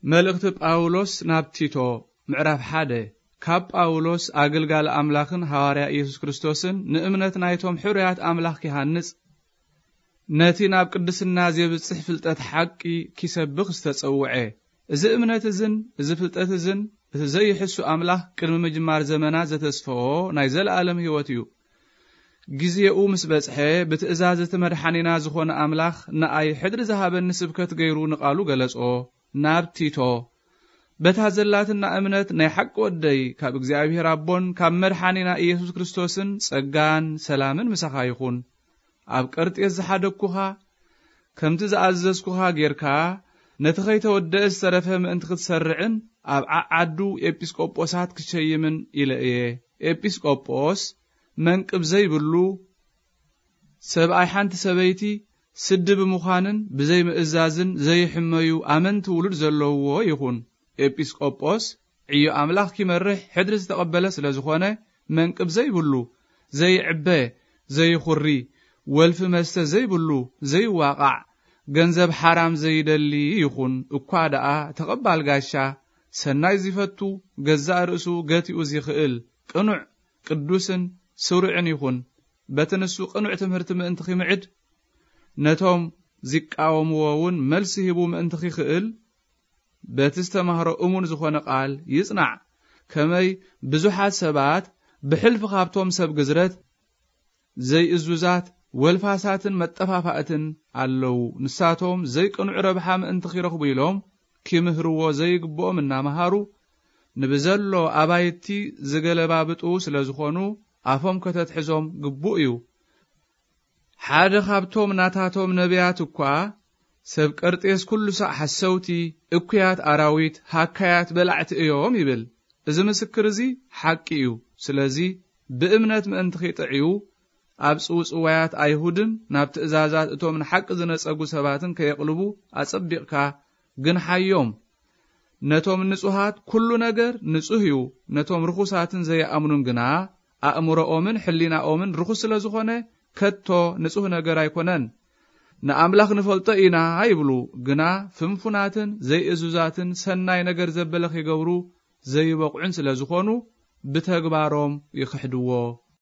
መልእኽቲ ጳውሎስ ናብ ቲቶ፣ ምዕራፍ ሓደ። ካብ ጳውሎስ ኣገልጋሊ ኣምላኽን ሃዋርያ ኢየሱስ ክርስቶስን፣ ንእምነት ናይቶም ሕሩያት ኣምላኽ ኪሃንጽ፣ ነቲ ናብ ቅድስና ዜብጽሕ ፍልጠት ሓቂ ኪሰብኽ ዝተጸውዐ፣ እዚ እምነት እዝን እዚ ፍልጠት እዝን፣ እቲ ዘይሕሱ ኣምላኽ ቅድሚ ምጅማር ዘመናት ዘተስፈዎ ናይ ዘለኣለም ህይወት እዩ። ግዜኡ ምስ በጽሐ፣ ብትእዛዝ እቲ መድሓኒና ዝኾነ ኣምላኽ ንኣይ ሕድሪ ዝሃበኒ ስብከት ገይሩ ንቓሉ ገለጾ። ናብ ቲቶ፣ በታ ዘላትና እምነት ናይ ሓቂ ወደይ፣ ካብ እግዚኣብሔር ኣቦን ካብ መድሓኒና ኢየሱስ ክርስቶስን ጸጋን ሰላምን ምሳኻ ይኹን። ኣብ ቀርጤስ ዝሓደግኩኻ፣ ከምቲ ዝኣዘዝኩኻ ጌርካ፣ ነቲ ኸይተወደአ ዝተረፈ ምእንቲ ክትሰርዕን ኣብ ዓዓዱ ኤጲስቆጶሳት ክትሸይምን ኢለ እየ። ኤጲስቆጶስ መንቅብ ዘይብሉ ሰብኣይ ሓንቲ ሰበይቲ ስዲ ብምዃንን ብዘይ ምእዛዝን ዘይሕመዩ ኣመንቲ ውሉድ ዘለውዎ ይኹን። ኤጲስቆጶስ ዕዮ ኣምላኽ ኪመርሕ ሕድሪ ዝተቐበለ ስለ ዝኾነ፣ መንቅብ ዘይብሉ፣ ዘይዕበ፣ ዘይኹሪ፣ ወልፊ መስተ ዘይብሉ፣ ዘይዋቓዕ፣ ገንዘብ ሓራም ዘይደሊ ይኹን። እኳ ደኣ ተቐባል ጋሻ፣ ሰናይ ዚፈቱ፣ ገዛእ ርእሱ ገቲኡ ዚኽእል፣ ቅኑዕ፣ ቅዱስን ስሩዕን ይኹን። በቲ ንሱ ቅኑዕ ትምህርቲ ምእንቲ ኺምዕድ፣ ነቶም ዚቃወምዎ እውን መልሲ ሂቡ ምእንቲ ኺኽእል፣ በቲ ዝተማህሮ እሙን ዝኾነ ቃል ይጽናዕ። ከመይ ብዙሓት ሰባት ብሕልፊ ኻብቶም ሰብ ግዝረት ዘይእዙዛት፣ ወልፋሳትን መጠፋፋእትን ኣለዉ። ንሳቶም ዘይቅኑዕ ረብሓ ምእንቲ ኺረኽቡ ኢሎም ኪምህርዎ ዘይግብኦም እናመሃሩ፣ ንብዘሎ ኣባይቲ ዝገለባብጡ ስለ ዝኾኑ፣ ኣፎም ከተትሕዞም ግቡእ እዩ። ሓደ ኻብቶም ናታቶም ነቢያት እኳ፣ ሰብ ቀርጤስ ኩሉ ሳዕ ሓሰውቲ፣ እኩያት ኣራዊት፣ ሃካያት በላዕቲ እዮም ይብል። እዚ ምስክር እዚ ሓቂ እዩ። ስለዚ ብእምነት ምእንቲ ኺጥዕዩ፣ ኣብ ጽውጽዋያት ኣይሁድን ናብ ትእዛዛት እቶም ንሓቂ ዝነጸጉ ሰባትን ከየቕልቡ ኣጸቢቕካ ግንሓዮም። ነቶም ንጹሃት ኩሉ ነገር ንጹህ እዩ፣ ነቶም ርኹሳትን ዘይኣምኑን ግና ኣእምሮኦምን ሕሊናኦምን ርኹስ ስለ ዝኾነ ከቶ ንጹህ ነገር ኣይኮነን። ንኣምላኽ ንፈልጦ ኢና ይብሉ፣ ግና ፍንፉናትን ዘይእዙዛትን ሰናይ ነገር ዘበለ ኺገብሩ ዘይበቕዑን ስለ ዝኾኑ ብተግባሮም ይኽሕድዎ።